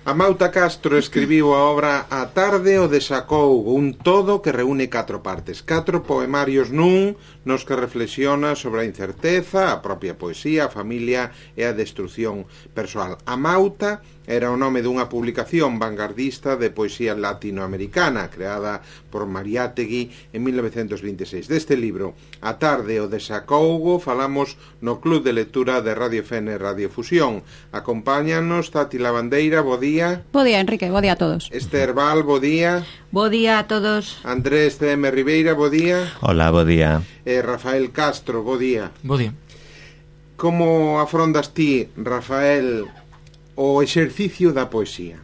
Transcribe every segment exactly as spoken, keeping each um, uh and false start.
Amauta Castro escribiu a obra A tarde o desacougo, un todo que reúne catro partes, catro poemarios nun, nos que reflexiona sobre a incerteza, a propia poesía, a familia e a destrucción persoal. Amauta era o nome dunha publicación vanguardista de poesía latinoamericana creada por Mariátegui en mil novecentos vinte e seis. Deste libro, A tarde o desacougo, falamos no Club de Lectura de Radio Fene Radio Fusión. Acompáñanos Tati Lavandeira, bo día. Bo día, Enrique, bo día a todos. Esther Val, bo día. Bo día a todos. Andrés C M Ribeira, bo día. Hola, bo día. E Rafael Castro, bo día. Bo día. Como afrontas ti, Rafael, o exercicio da poesía?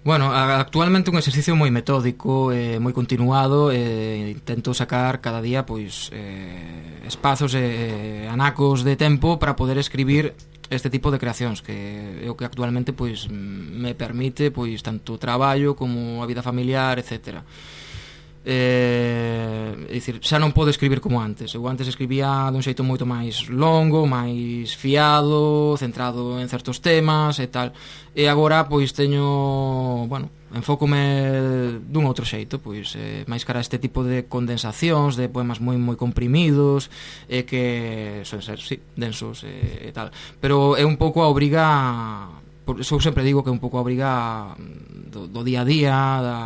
Bueno, actualmente un exercicio moi metódico, eh, moi continuado, eh, intento sacar cada día pois eh, espazos e eh, anacos de tempo para poder escribir este tipo de creacións, que é o que actualmente pois me permite pois tanto o traballo como a vida familiar, etcétera. Eh, é dicir, xa non podo escribir como antes. Eu antes escribía dun xeito moito máis longo, máis fiado, centrado en certos temas e tal. E agora pois teño, bueno, enfócome dun outro xeito, pois eh, máis cara a este tipo de condensacións, de poemas moi moi comprimidos, e eh, que son ser, sí, densos e eh, tal. Pero é un pouco a obriga. Por eso eu sempre digo que é un pouco a obriga do, do día a día, da,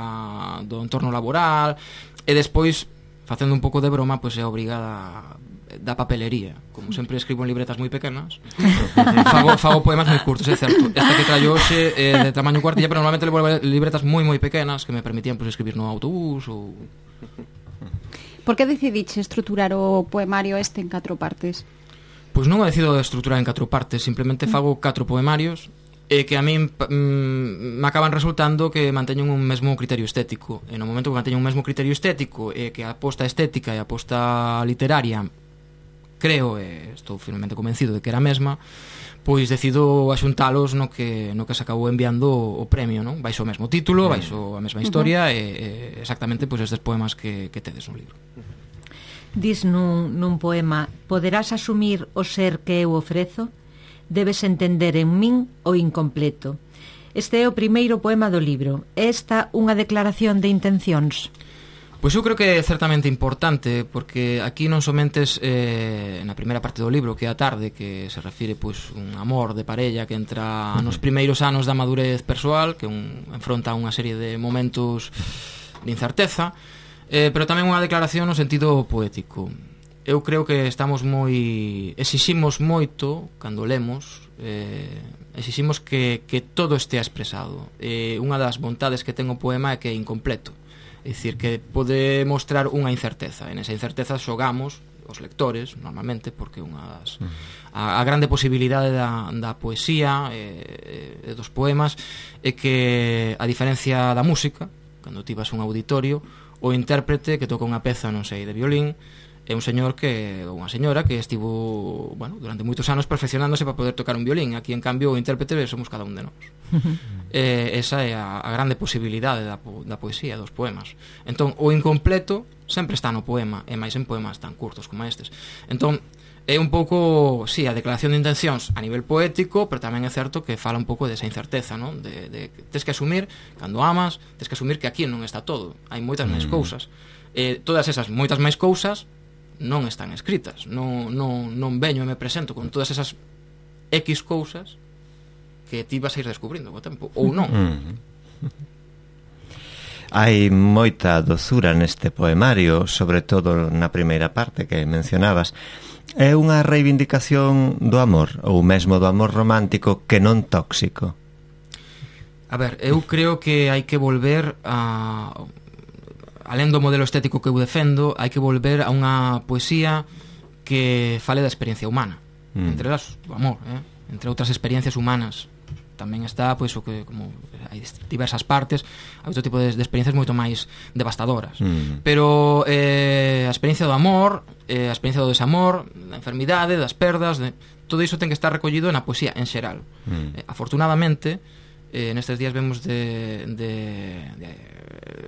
do entorno laboral, e despois, facendo un pouco de broma, pois é a obriga da, da papelería. Como sempre escribo en libretas moi pequenas, fago, fago poemas moi curtos, é certo. Esta que traio hoxe é de tamaño cuartilla, pero normalmente levo libretas moi moi pequenas que me permitían pois, escribir no autobús ou... Por que decidiche estruturar o poemario este en catro partes? Pois non o decido estruturar en catro partes, simplemente fago catro poemarios e que a min mm, me acaban resultando que manteñen un mesmo criterio estético. E no momento que manteñen un mesmo criterio estético e que a aposta estética e a aposta literaria creo, e estou firmemente convencido de que era a mesma, pois decido axuntalos no que, no que se acabou enviando o premio, non? Baixo o mesmo título, baixo a mesma historia, uh-huh. e, e exactamente pois estes poemas que, que tedes no libro. Dis nun, nun poema: poderás asumir o ser que eu ofrezo? Debes entender en min o incompleto. Este é o primeiro poema do libro. É esta unha declaración de intencións? Pois eu creo que é certamente importante, porque aquí non somente eh, na primeira parte do libro, que é a tarde, que se refire pois un amor de parella que entra nos primeiros anos da madurez persoal, que un enfronta unha serie de momentos de incerteza, eh, pero tamén unha declaración no sentido poético. Eu creo que estamos moi... exiximos moito cando lemos, eh, exiximos que, que todo estea expresado. Eh, unha das vontades que ten o poema é que é incompleto. É dicir, que pode mostrar unha incerteza. En esa incerteza xogamos os lectores, normalmente, porque unha das... A, a grande posibilidade da, da poesía e eh, dos poemas é que, a diferencia da música, cando ti vas a un auditorio, o intérprete que toca unha peza, non sei, de violín, é un señor que, ou unha señora que estivo, bueno, durante moitos anos perfeccionándose para poder tocar un violín. Aquí, en cambio, o intérprete somos cada un de nós. eh, esa é a, a grande posibilidade da, da poesía, dos poemas. Entón, o incompleto sempre está no poema, e máis en poemas tan curtos como estes. Entón, é un pouco, sí, a declaración de intencións a nivel poético, pero tamén é certo que fala un pouco desa incerteza, non? De, de, tes que asumir, cando amas, tes que asumir que aquí non está todo, hai moitas máis cousas. Eh, todas esas moitas máis cousas non están escritas, non, non, non veño e me presento con todas esas X cousas que ti vas a ir descubrindo co tempo, ou non. Mm. Hai moita dozura neste poemario, sobre todo na primeira parte que mencionabas. É unha reivindicación do amor, ou mesmo do amor romántico que non tóxico? A ver, eu creo que hai que volver a... alén do modelo estético que eu defendo, hai que volver a unha poesía que fale da experiencia humana, mm. entre elas o amor, eh? Entre outras experiencias humanas. Tamén está, pois, o que como hai diversas partes, hai outro tipo de, de experiencias moito máis devastadoras. Mm. Pero eh, a experiencia do amor, eh, a experiencia do desamor, da enfermidade, das perdas, de, todo iso ten que estar recollido na poesía en xeral. Mm. Eh, afortunadamente, eh, nestes días vemos de, de, de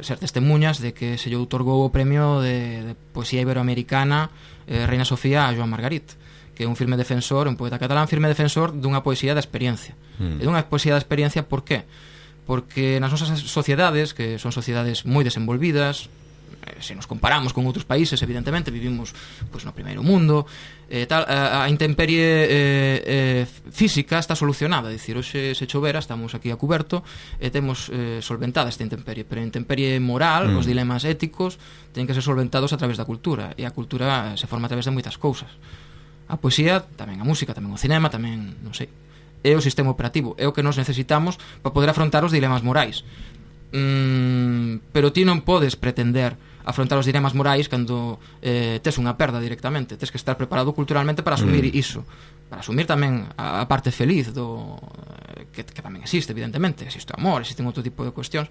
ser testemunhas de que se lle outorgou o premio de, de poesía iberoamericana eh, Reina Sofía a Joan Margarit, que é un firme defensor, un poeta catalán firme defensor dunha poesía da experiencia. Mm. E dunha poesía da experiencia, por qué? Porque nas nosas sociedades, que son sociedades moi desenvolvidas, se nos comparamos con outros países, evidentemente vivimos pois, no primeiro mundo, eh, tal, a, a intemperie eh, eh, física está solucionada, é dicir, hoxe se chovera, estamos aquí a cuberto e temos eh, solventada esta intemperie, pero a intemperie moral, mm. os dilemas éticos teñen que ser solventados a través da cultura, e a cultura se forma a través de moitas cousas. A poesía, tamén a música, tamén o cinema, tamén, non sei, é o sistema operativo, é o que nos necesitamos para poder afrontar os dilemas morais. Mm, pero ti non podes pretender afrontar os dilemas morais cando eh, tes unha perda directamente. Tes que estar preparado culturalmente para asumir mm. iso, para asumir tamén a, a parte feliz do que, que tamén existe, evidentemente. Existe o amor, existen outro tipo de cuestións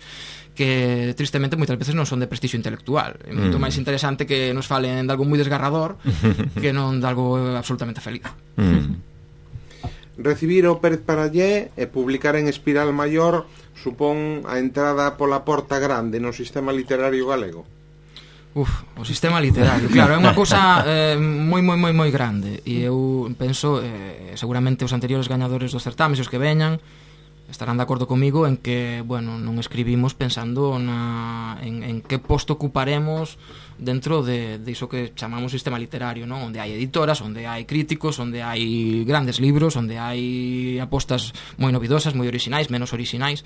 que tristemente moitas veces non son de prestixio intelectual. É moito mm. máis interesante que nos falen de algo moi desgarrador que non de algo absolutamente feliz. mm. Recibir o Pérez Parallé e publicar en Espiral Maior supón a entrada pola porta grande no sistema literario galego? Uf, o sistema literario, claro, é unha cousa eh, moi, moi, moi, moi grande. E eu penso, eh, seguramente os anteriores gañadores dos certames, os que veñan, estarán de acordo comigo en que, bueno, non escribimos pensando na, en, en que posto ocuparemos dentro de, de iso que chamamos sistema literario, non? Onde hai editoras, onde hai críticos, onde hai grandes libros, onde hai apostas moi novidosas, moi orixinais, menos orixinais,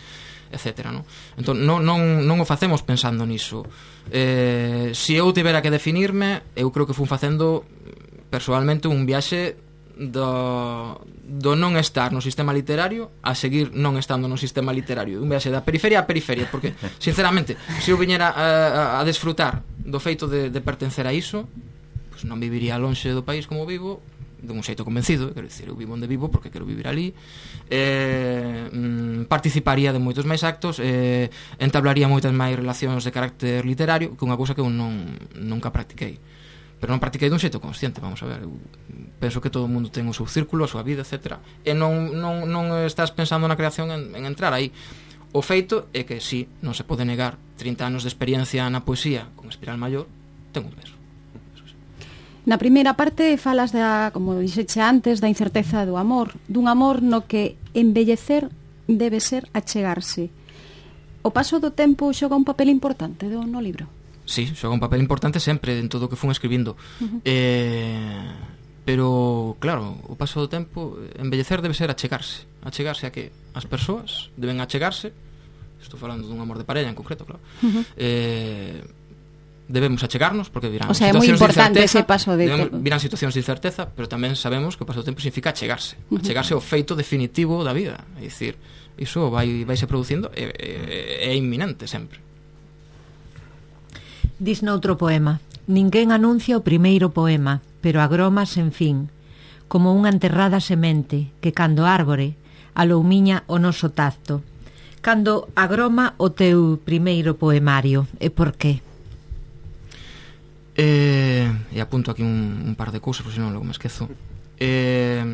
etcétera, non? Entón, non, non, non o facemos pensando niso. Eh, se eu tivera que definirme, eu creo que fun facendo persoalmente un viaxe do, do non estar no sistema literario a seguir non estando no sistema literario, un viaxe da periferia a periferia, porque sinceramente se eu viñera a, a, a desfrutar do feito de, de pertencer a iso, pues non viviría lonxe do país como vivo, de un xeito convencido, quero dicir, eu vivo onde vivo porque quero vivir ali, eh, mm, participaría de moitos máis actos, eh, entablaría moitas máis relacións de carácter literario, que é unha cousa que eu non, nunca practiquei, pero non practiquei dun xeito consciente, vamos a ver, eu penso que todo o mundo ten o seu círculo, a súa vida, etcétera, e non, non, non estás pensando na creación en, en entrar aí. O feito é que sí, non se pode negar trinta anos de experiencia na poesía con Espiral Maior, ten un peso. Na primeira parte falas da, como dixeche antes, da incerteza do amor, dun amor no que embellecer debe ser achegarse. O paso do tempo xoga un papel importante do, no libro? Sí, xoga un papel importante sempre en todo o que fun escribindo. Uh-huh. Eh, pero, claro, o paso do tempo, embellecer debe ser achegarse. Achegarse a que as persoas deben achegarse, estou falando dun amor de parella en concreto, claro, uh-huh. eh, debemos achegarnos porque virán, o sea, situacións de incerteza, ese paso de debemos, virán situacións de incerteza, pero tamén sabemos que o paso do tempo significa achegarse, uh-huh. achegarse ao feito definitivo da vida, é dicir, iso vai vai se producindo é, é, é inminente sempre. Dis noutro poema: ninguén anuncia o primeiro poema, pero agroma sen fin, como unha enterrada semente que cando árbore aloumiña o noso tacto. Cando agroma o teu primeiro poemario, e por qué? Eh, e apunto aquí un, un par de cousas, porque senón logo me esquezo. Eh,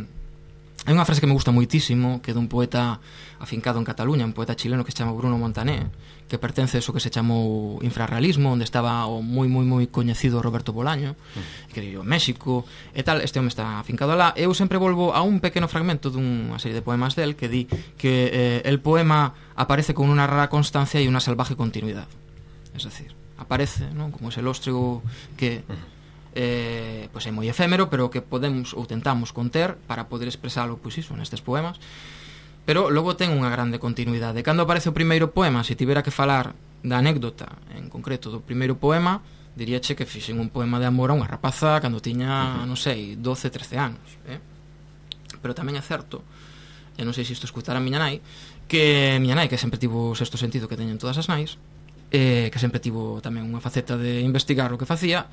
hai unha frase que me gusta moitísimo, que é dun poeta afincado en Cataluña, un poeta chileno que se chama Bruno Montané, que pertence a eso que se chamou infrarrealismo, onde estaba o moi moi moi coñecido Roberto Bolaño, mm. que viviu en México e tal. Este home está afincado alá. Eu sempre volvo a un pequeno fragmento dunha serie de poemas del que di que eh, el poema aparece con unha rara constancia e unha salvaje continuidad, es decir, aparece, ¿no?, como ese lóstrego que eh, pues é moi efémero, pero que podemos ou tentamos conter para poder expresalo, pois iso, nestes poemas. Pero logo ten unha grande continuidade. Cando aparece o primeiro poema, se tivera que falar da anécdota en concreto do primeiro poema, diríache que fixen un poema de amor a unha rapaza cando tiña, non sei, doce, trece anos, eh? Pero tamén é certo, e non sei se isto escutar a miña nai, que miña nai, que sempre tivo o sexto sentido que teñen todas as nais, eh, que sempre tivo tamén unha faceta de investigar o que facía,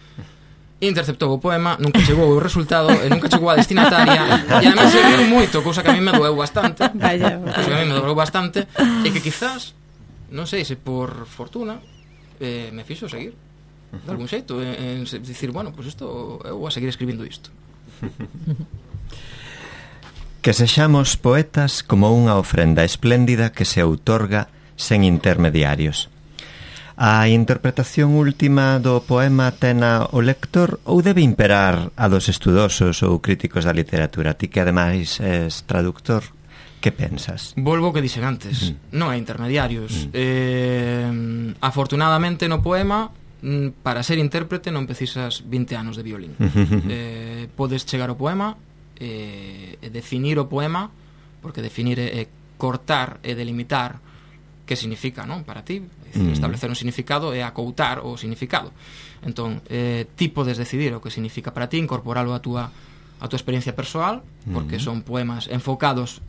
interceptou o poema, nunca chegou o resultado e nunca chegou a destinataria, e además se riu moito, cousa que a mí me doeu bastante. Vaya, cousa que a mí me doeu bastante, e que quizás, non sei se por fortuna, eh, me fixo seguir de algún xeito, en, en dicir, bueno, pois pues isto, eu vou a seguir escribindo isto. Que sexamos poetas como unha ofrenda espléndida que se outorga sen intermediarios. A interpretación última do poema tena o lector ou debe imperar a dos estudosos ou críticos da literatura? Ti que ademais és traductor, que pensas? Volvo o que dixen antes, mm. non hai intermediarios. Mm. Eh, afortunadamente no poema, para ser intérprete non precisas vinte anos de violín. eh, podes chegar ao poema e eh, definir o poema, porque definir é eh, cortar e delimitar que significa, non, para ti. Mm. Establecer un significado é acoutar o significado. Entón, eh, ti podes decidir o que significa para ti, incorporalo a túa a túa experiencia persoal, porque mm. son poemas enfocados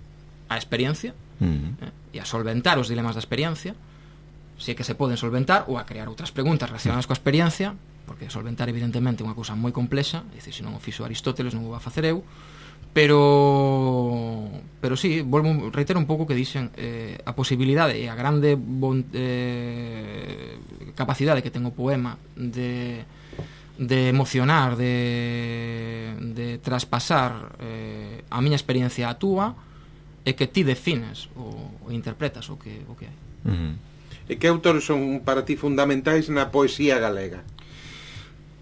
á experiencia mm. eh, e a solventar os dilemas da experiencia, se é que se poden solventar, ou a crear outras preguntas relacionadas coa experiencia, porque solventar evidentemente é unha cousa moi complexa, é dicir, se non o fixo Aristóteles non o vou a facer eu, pero pero sí, volvo reitero un pouco que dixen, eh, a posibilidade e a grande bon, eh, capacidade que ten o poema de, de emocionar, de, de traspasar eh, a miña experiencia a túa, é que ti defines o, o interpretas o que, o que hai. Uh-huh. E que autores son para ti fundamentais na poesía galega?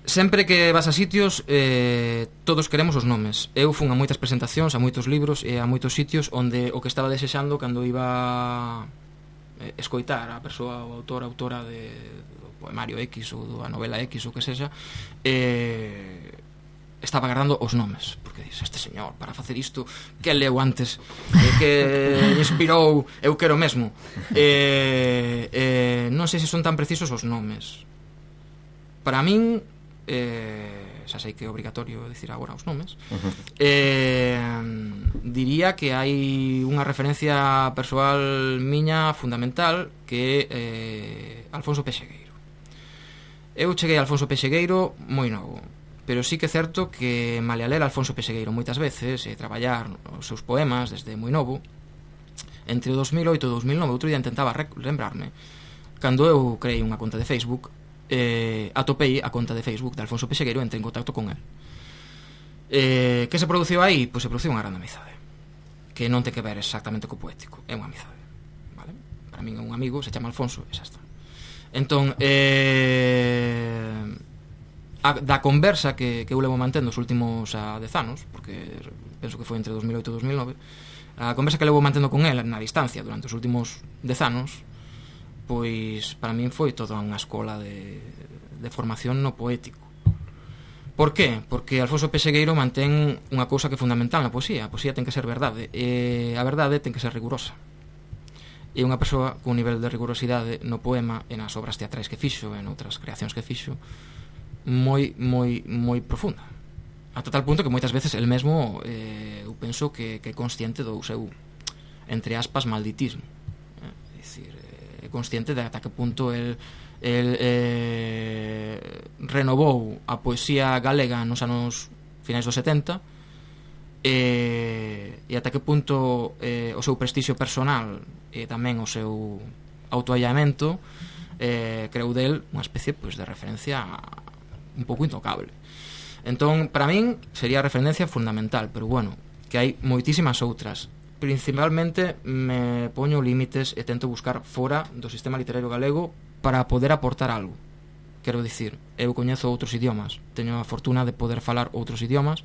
Sempre que vas a sitios, eh, todos queremos os nomes. Eu fun a moitas presentacións, a moitos libros e a moitos sitios onde o que estaba desexando cando iba eh, escoitar a persoa, o autor, a autora de, do poemario X ou da novela X ou que sexa, eh, estaba agardando os nomes, porque dices, este señor, para facer isto, que leu antes, eh, que inspirou, eu quero mesmo. Eh, eh, non sei se son tan precisos os nomes. Para min, eh, xa sei que é obrigatorio dicir agora os nomes, uh-huh. eh, diría que hai unha referencia persoal miña fundamental que é eh, Alfonso Pexegueiro. Eu cheguei a Alfonso Pexegueiro moi novo, pero sí que é certo que malia ler Alfonso Pexegueiro moitas veces e traballar os seus poemas desde moi novo, entre o dos mil oito e o dos mil nove, outro día intentaba lembrarme, cando eu creei unha conta de Facebook, eh, atopei a conta de Facebook de Alfonso Pexegueiro e entrei en contacto con el. Eh, que se produciu aí? Pois se produciu unha grande amizade, que non ten que ver exactamente co poético, é unha amizade, vale? Para min é un amigo, se chama Alfonso e xa está. Entón, eh, a, da conversa que, que eu levo mantendo os últimos a dez anos, porque penso que foi entre dos mil oito e dos mil nove, a conversa que levo mantendo con el na distancia durante os últimos dez anos, pois para min foi toda unha escola de, de formación no poético. Por qué? Porque Alfonso Pexegueiro mantén unha cousa que é fundamental na poesía. A poesía ten que ser verdade, e a verdade ten que ser rigurosa. E unha persoa con un nivel de rigurosidade no poema e nas obras teatrais que fixo e noutras creacións que fixo moi, moi, moi profunda, ata tal punto que moitas veces el mesmo eh, eu penso que, que é consciente do seu, entre aspas, malditismo. É dicir, é consciente de ata que punto el, el eh, renovou a poesía galega nos anos finais dos setenta, e, e ata que punto eh, o seu prestixio personal e tamén o seu autoallamento eh, creou del unha especie, pois, de referencia un pouco intocable. Entón, para min sería a referencia fundamental, pero bueno, que hai moitísimas outras. Principalmente me poño límites e tento buscar fora do sistema literario galego para poder aportar algo. Quero dicir, eu coñezo outros idiomas, teño a fortuna de poder falar outros idiomas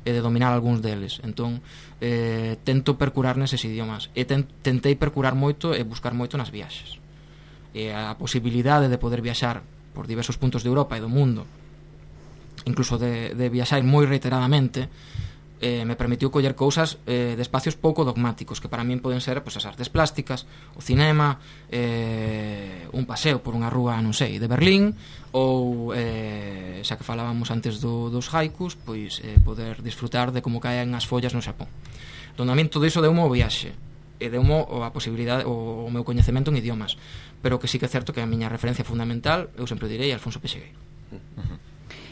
e de dominar algúns deles. Entón, eh, tento percurar neses idiomas e ten, tentei percurar moito e buscar moito nas viaxes. E a posibilidade de poder viaxar por diversos puntos de Europa e do mundo, incluso de, de viaxar moi reiteradamente, eh, me permitiu coller cousas eh, de espacios pouco dogmáticos, que para min poden ser, pois, as artes plásticas, o cinema, eh, un paseo por unha rúa, non sei, de Berlín, ou eh, xa que falábamos antes do, dos haikus, pois eh, poder disfrutar de como caen as follas no Xapón. Donde a min todo iso deu-mo o viaxe e deu-mo a posibilidade, o, o meu coñecemento en idiomas, pero que sí que é certo que a miña referencia fundamental, eu sempre direi, Alfonso Pexegueiro. Uh-huh.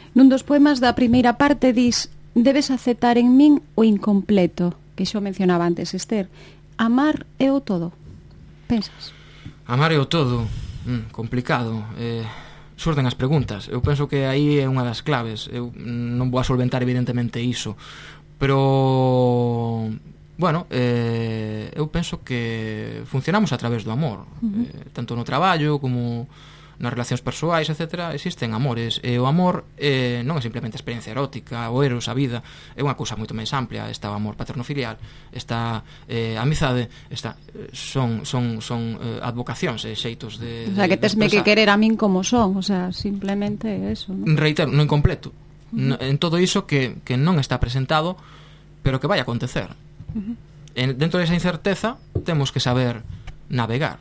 Nun dos poemas da primeira parte dis: debes aceptar en min o incompleto, que xo mencionaba antes Esther. Amar é o todo. Pensas? Amar é o todo, mm, complicado. Eh, surden as preguntas. Eu penso que aí é unha das claves. Eu non vou a solventar evidentemente iso, pero bueno, eh, eu penso que funcionamos a través do amor, uh-huh. eh, tanto no traballo como nas relacións persoais, etcétera, existen amores, e o amor eh, non é simplemente a experiencia erótica, o eros, a vida, é unha cousa moito máis amplia. Está o amor paterno-filial, está eh, a amizade, está, son, son, son eh, advocacións e xeitos de, o sea, de, que tesme de que querer a min como son, o sea, simplemente eso, ¿no? Reitero, no incompleto, uh-huh. en todo iso que, que non está presentado, pero que vai a acontecer. Uh-huh. En, dentro desa incerteza temos que saber navegar.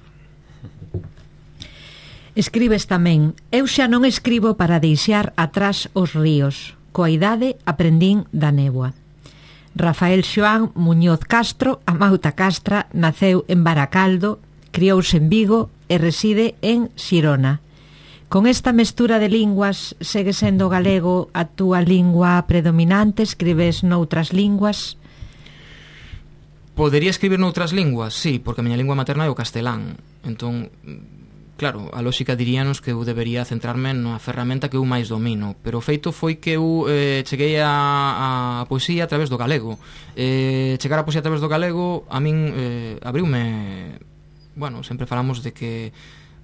Escribes tamén: eu xa non escribo para deixar atrás os ríos, coa idade aprendín da néboa. Rafael Xoán Muñoz Castro, a Mauta Castra, naceu en Baracaldo, criouse en Vigo e reside en Xirona. Con esta mestura de linguas, segue sendo galego a túa lingua predominante? Escribes noutras linguas? Podería escribir noutras linguas, sí, porque a miña lingua materna é o castelán. Entón, claro, a lógica diríanos que eu debería centrarme na ferramenta que eu máis domino, pero o feito foi que eu eh, cheguei a, a poesía a través do galego. Eh, chegar a poesía a través do galego a min eh, abriume... Bueno, sempre falamos de que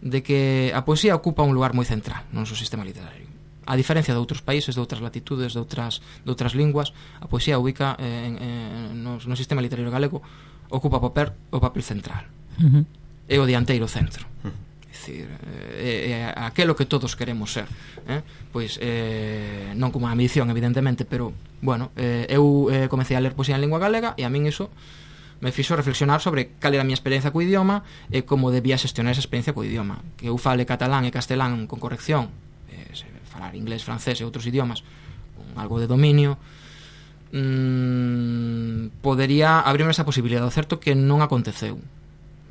de que a poesía ocupa un lugar moi central no noso sistema literario. A diferencia de outros países, de outras latitudes, de outras, de outras linguas, a poesía ubica eh, en, en, no, no sistema literario galego, ocupa o papel, o papel central. Uh-huh. É o dianteiro centro. Uh-huh. Decir, é, é aquelo que todos queremos ser, eh? Pois eh, non como a ambición, evidentemente, pero bueno, eh, eu eh, comecei a ler poesía en lingua galega e a min iso me fixo reflexionar sobre cal era a miña experiencia co idioma e como debía xestionar esa experiencia co idioma. Que eu fale catalán e castelán con corrección, eh, falar inglés, francés e outros idiomas con algo de dominio, mmm, podería abrirme esa posibilidade. O certo que non aconteceu.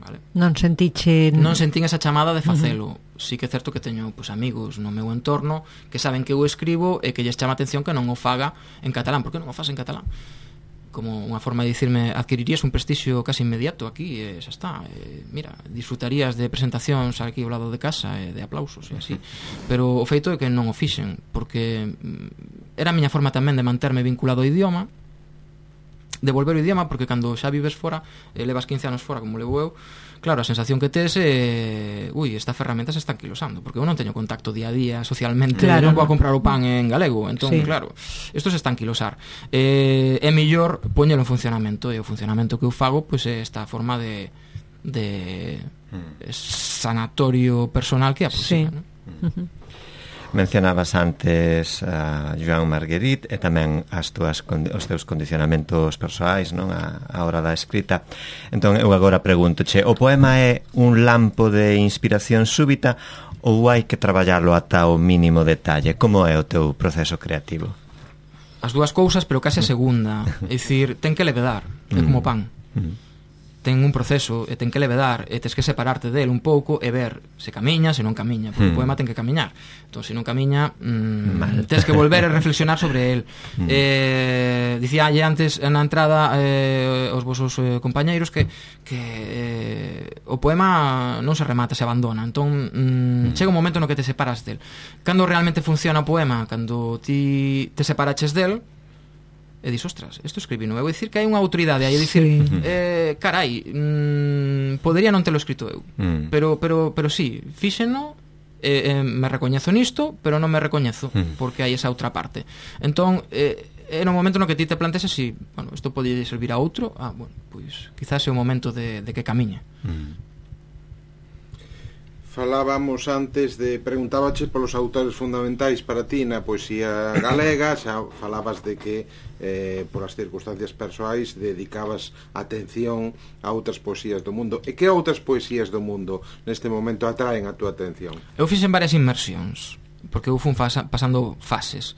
Vale. Non sentiche... Non sentín esa chamada de facelo. Uh-huh. Sí que é certo que teño pues, amigos no meu entorno que saben que eu escribo e que lles chama a atención que non o faga en catalán. Por que non o faz en catalán? Como unha forma de dicirme, adquirirías un prestixio casi inmediato aquí, e xa está, e, mira, disfrutarías de presentacións aquí ao lado de casa e de aplausos e así, pero o feito é que non o fixen, porque era a miña forma tamén de manterme vinculado ao idioma, de volver ao idioma, porque cando xa vives fora, eh, levas quince anos fora como levo eu, claro, a sensación que tes é ui, esta ferramenta se está anquilosando, porque eu non teño contacto día a día socialmente, claro, non vou a comprar o pan en galego, entón, sí. Claro, isto se está anquilosar. Eh, é mellor poñelo en funcionamento, e o funcionamento que eu fago pois é esta forma de de sanatorio personal que é a poesía, sí. ¿No? Uh-huh. Mencionabas antes a Joan Marguerite e tamén as túas, os teus condicionamentos persoais, non, a, a hora da escrita. Entón eu agora preguntoche, o poema é un lampo de inspiración súbita ou hai que traballarlo ata o mínimo detalle? Como é o teu proceso creativo? As dúas cousas, pero case a segunda. É dicir, ten que levedar, é como pan. Mm. Ten un proceso e ten que levedar e tens que separarte del un pouco e ver se camiña, se non camiña, porque mm. o poema ten que camiñar. Entón, se non camiña, mmm, tens que volver a reflexionar sobre el. Mm. Eh, dicía antes na entrada eh, os vosos eh, compañeiros que, que eh, o poema non se remata, se abandona. Entón, mm, mm. chega un momento no que te separas del. Cando realmente funciona o poema? Cando ti te separaches del e dis, ostras, isto escribí non, eu dicir que hai unha autoridade aí, dicir, sí. eh, carai, mmm, podería non telo escrito eu, mm. pero, pero, pero sí, fíxeno, eh, eh, me recoñezo nisto, pero non me recoñezo, mm. porque hai esa outra parte. Entón, eh, é no momento no que ti te plantes así, bueno, isto pode servir a outro, ah, bueno, pois, quizás é o momento de, de que camiñe. Mm. Falábamos antes de, preguntábache polos autores fundamentais para ti na poesía galega, xa falabas de que eh, por as circunstancias persoais dedicabas atención a outras poesías do mundo. E que outras poesías do mundo neste momento atraen a túa atención? Eu fixen varias inmersións, porque eu fun fasa, pasando fases.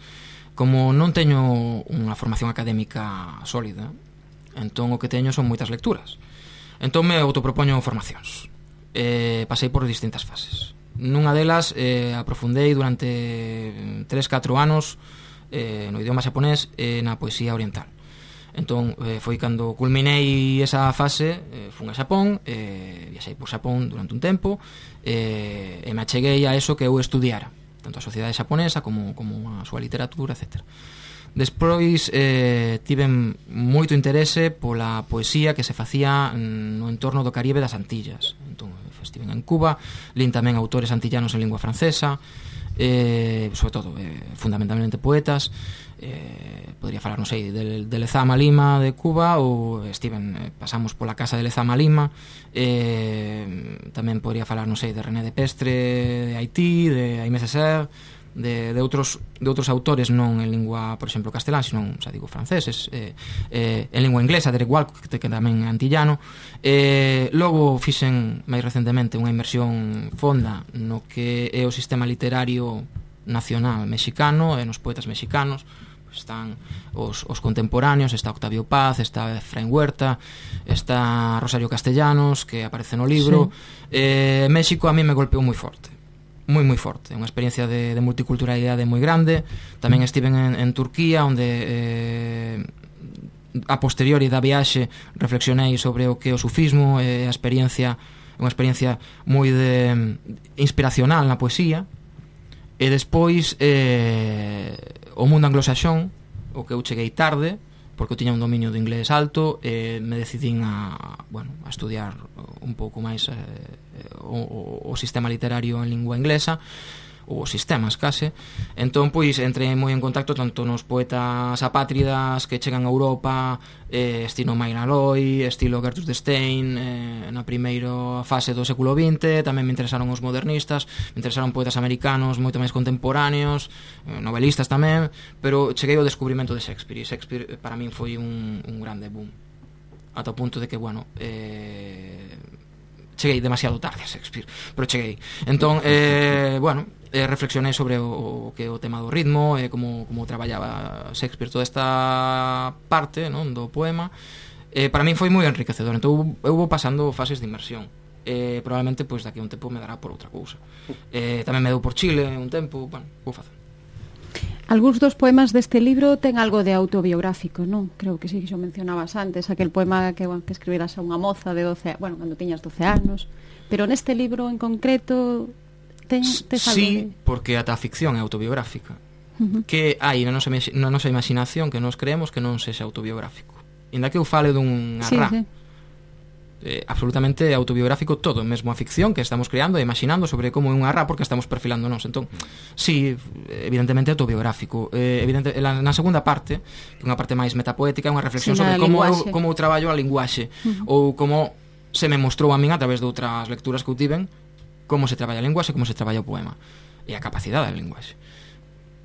Como non teño unha formación académica sólida, entón o que teño son moitas lecturas. Entón me autopropoño formacións. Eh, pasei por distintas fases. Nunha delas eh, aprofundei durante tres catro anos eh, no idioma xaponés e na poesía oriental. Entón eh, foi cando culminei esa fase, eh, fun a Xapón, eh, viaxei por Xapón durante un tempo eh, e me acheguei a eso que eu estudiara, tanto a sociedade xaponesa como, como a súa literatura, etcétera. Despois eh, tiven moito interese pola poesía que se facía no entorno do Caribe das Antillas. Entón, estiven en Cuba, lin tamén autores antillanos en lingua francesa, eh, sobre todo, eh, fundamentalmente poetas, eh, podría falar, non sei, de, de Lezama Lima de Cuba, ou estiven, eh, pasamos pola casa de Lezama Lima, eh, tamén podría falar, non sei, de René de Pestre de Haití, de Aimé Césaire, de, de outros de outros autores non en lingua, por exemplo, castelán, sino, xa digo, franceses, eh, eh, en lingua inglesa, Derek Walcott, que tamén é antillano. Eh, logo fixen máis recentemente unha inmersión fonda no que é o sistema literario nacional mexicano e nos poetas mexicanos. Están os, os contemporáneos, está Octavio Paz, está Efraín Huerta, está Rosario Castellanos, que aparece no libro. Sí. eh, México a mí me golpeou moi forte, moi moi forte, unha experiencia de, de multiculturalidade moi grande. Tamén estiven en, en Turquía, onde eh, a posteriori da viaxe reflexionei sobre o que é o sufismo, e a experiencia, unha experiencia moi de inspiracional na poesía. E despois eh, o mundo anglosaxón, o que eu cheguei tarde, porque eu tiña un dominio do inglés alto, e me decidín a, bueno, a estudiar un pouco máis eh, o, o sistema literario en lingua inglesa, ou os sistemas case. Entón, pois, entrei moi en contacto tanto nos poetas apátridas que chegan a Europa, eh, estilo Mayra Loy, estilo Gertrude Stein, eh, na primeira fase do século vinte. Tamén me interesaron os modernistas, me interesaron poetas americanos moito máis contemporáneos, eh, novelistas tamén, pero cheguei ao descubrimento de Shakespeare, e Shakespeare para min foi un, un grande boom, ata o punto de que, bueno, eh, cheguei demasiado tarde a Shakespeare, pero cheguei. Entón, eh, bueno, eh, reflexionei sobre o, o que o tema do ritmo, e eh, como, como traballaba Shakespeare toda esta parte, non, do poema. Eh, para min foi moi enriquecedor. Entón eu vou pasando fases de inmersión. Eh, probablemente, pois, daqui a un tempo me dará por outra cousa. Eh, tamén me deu por Chile un tempo, bueno, vou facer. Algúns dos poemas deste libro ten algo de autobiográfico, non? Creo que sí, que xo mencionabas antes, aquel poema que, bueno, que escribiras a unha moza de doce, bueno, cando tiñas doce anos, pero neste libro en concreto ten, tes algo sí, de... porque ata a ficción é autobiográfica. Uh-huh. Que hai na nosa, na nosa imaginación que nos creemos que non sexa autobiográfico. Inda que eu fale dun arrá, sí, sí. Eh, absolutamente autobiográfico todo, mesmo a ficción que estamos creando e imaginando sobre como é un arrá, porque estamos perfilándonos. Entón, sí, evidentemente autobiográfico. Eh, evidente, na, na segunda parte, que é unha parte máis metapoética, é unha reflexión sí, sobre como eu, como eu traballo a linguaxe, uh-huh. ou como se me mostrou a min a través de outras lecturas que eu tiven, como se traballa a linguaxe, como se traballa o poema e a capacidade da linguaxe.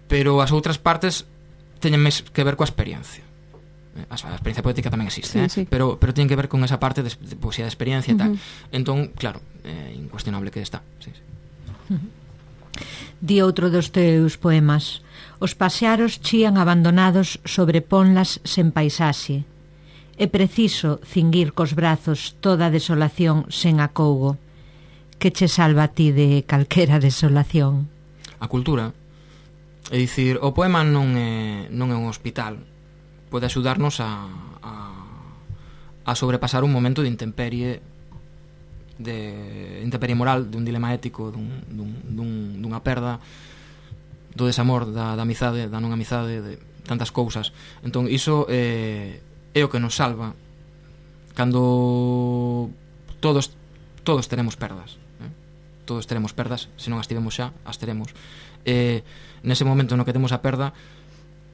Pero as outras partes teñen máis que ver coa experiencia. A experiencia poética tamén existe, sí, eh? sí. Pero, pero tienen que ver con esa parte de, de poesía de experiencia e uh-huh. tal. Entón, claro, é eh, incuestionable que está, sí, sí. Uh-huh. Di outro dos teus poemas: os pasearos chían abandonados sobre ponlas sen paisaxe. É preciso cinguir cos brazos toda a desolación sen acougo. Que che salva a ti de calquera desolación? A cultura. É dicir, o poema non é, non é un hospital. Pode axudarnos a, a, a sobrepasar un momento de intemperie, de intemperie moral, dun dilema ético, dun, dun, dun, dunha perda, do desamor, da, da amizade, da non amizade, de tantas cousas. Entón, iso é, é o que nos salva cando todos todos teremos perdas, eh? Todos teremos perdas, se non as tivemos xa, as teremos. Eh, nese momento no que temos a perda,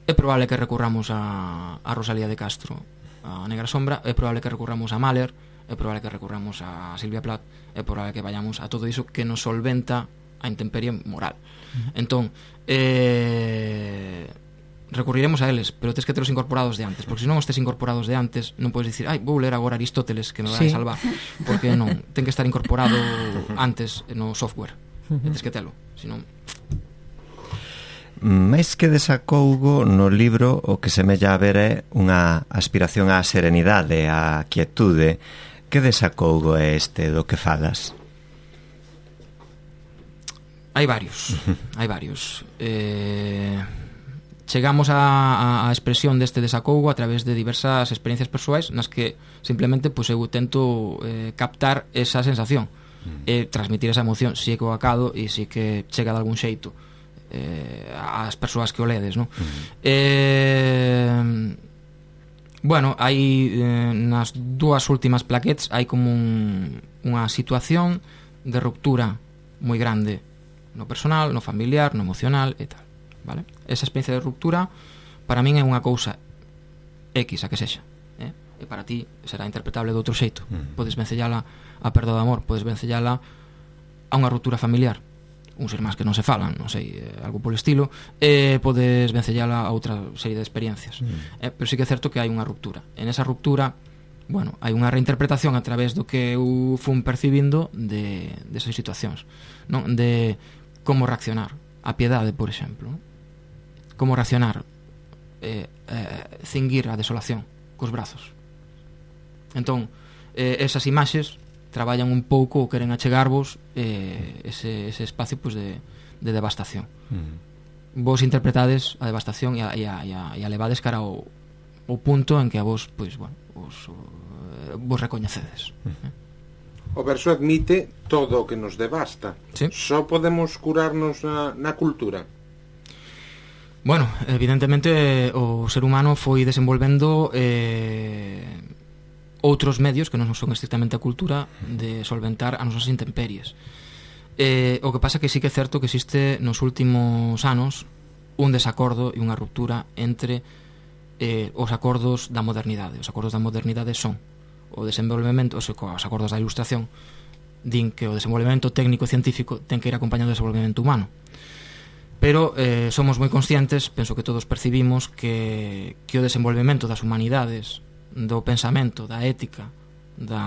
é probable que recurramos a, a Rosalía de Castro, a Negra Sombra, é probable que recurramos a Mahler, é probable que recurramos a Silvia Plath, é probable que vayamos a todo iso que nos solventa a intemperie moral. Uh-huh. Entón, eh, recurriremos a eles, pero tes que telos incorporados de antes, porque se non os tes incorporados de antes, non podes dicir, ai, vou ler agora Aristóteles que me vai sí. salvar, porque non, ten que estar incorporado antes no software, uh-huh. tes que telo, senón... Máis que desacougo, no libro o que semella haber é unha aspiración á serenidade, á quietude. Que desacougo é este do que falas? Hai varios, hai varios. Eh, chegamos a, a, a expresión deste desacougo a través de diversas experiencias persoais nas que simplemente pues, eu tento eh, captar esa sensación mm. e transmitir esa emoción, si é que o acado e si que chega de algún xeito eh, as persoas que o ledes, non? Uh-huh. Eh, bueno, hai eh, nas dúas últimas plaquetes hai como un, unha situación de ruptura moi grande no personal, no familiar, no emocional e tal, vale? Esa experiencia de ruptura para min é unha cousa X, a que sexa, eh? E para ti será interpretable de outro xeito. Mm. Podes vencellala a perda de amor, podes vencellala a unha ruptura familiar, uns irmáns que non se falan, non sei, eh, algo polo estilo, e podes vencellala a outra serie de experiencias. Mm. Eh, pero sí que é certo que hai unha ruptura. En esa ruptura, bueno, hai unha reinterpretación a través do que eu fun percibindo de, de esas situacións, non? De como reaccionar a piedade, por exemplo, non? Como reaccionar eh, eh, cinguir a desolación cos brazos. Entón, eh, esas imaxes traballan un pouco ou queren achegarvos eh, ese, ese espacio pues, de, de devastación. Mm. Vos interpretades a devastación e a, e a, e a, e a levades cara ao, ao punto en que a vos, pues, bueno, vos, uh, vos recoñecedes. Mm. Eh? O verso admite todo o que nos devasta. Sí. Só podemos curarnos na, na cultura. Bueno, evidentemente o ser humano foi desenvolvendo eh, outros medios que non son estrictamente a cultura de solventar as nosas intemperies. Eh, o que pasa que sí que é certo que existe nos últimos anos un desacordo e unha ruptura entre eh, os acordos da modernidade. Os acordos da modernidade son o desenvolvemento, os acordos da ilustración din que o desenvolvemento técnico e científico ten que ir acompañado do desenvolvemento humano. Pero eh, somos moi conscientes, penso que todos percibimos que, que o desenvolvemento das humanidades, do pensamento, da ética, da,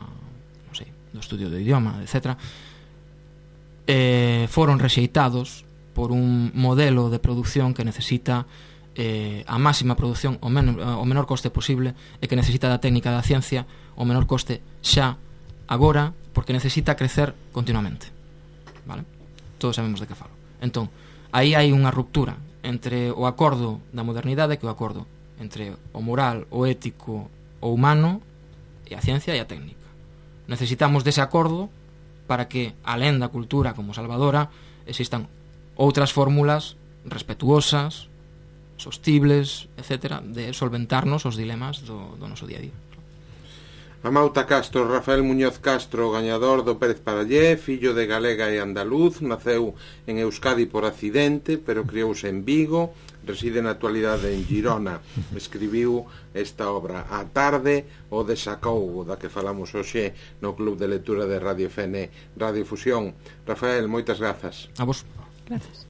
non sei, do estudio do idioma, etcétera, eh, foron rexeitados por un modelo de produción que necesita eh, a máxima produción o, men o menor coste posible e que necesita da técnica da ciencia o menor coste xa, agora, porque necesita crecer continuamente, vale? Todos sabemos de que falo. Entón, aí hai unha ruptura entre o acordo da modernidade que o acordo entre o moral, o ético, o humano e a ciencia e a técnica. Necesitamos dese acordo para que, alén da cultura como salvadora, existan outras fórmulas respetuosas, sostibles, etcétera, de solventarnos os dilemas do, do noso día a día. Amauta Castro, Rafael Muñoz Castro, gañador do Pérez Parallé, fillo de galega e andaluz, naceu en Euskadi por accidente, pero criouse en Vigo, reside na actualidade en Girona. Escribiu esta obra A tarde, o desacougo, da que falamos hoxe no Club de Lectura de Radio F N, Radio Fusión. Rafael, moitas grazas. A vos. Gracias.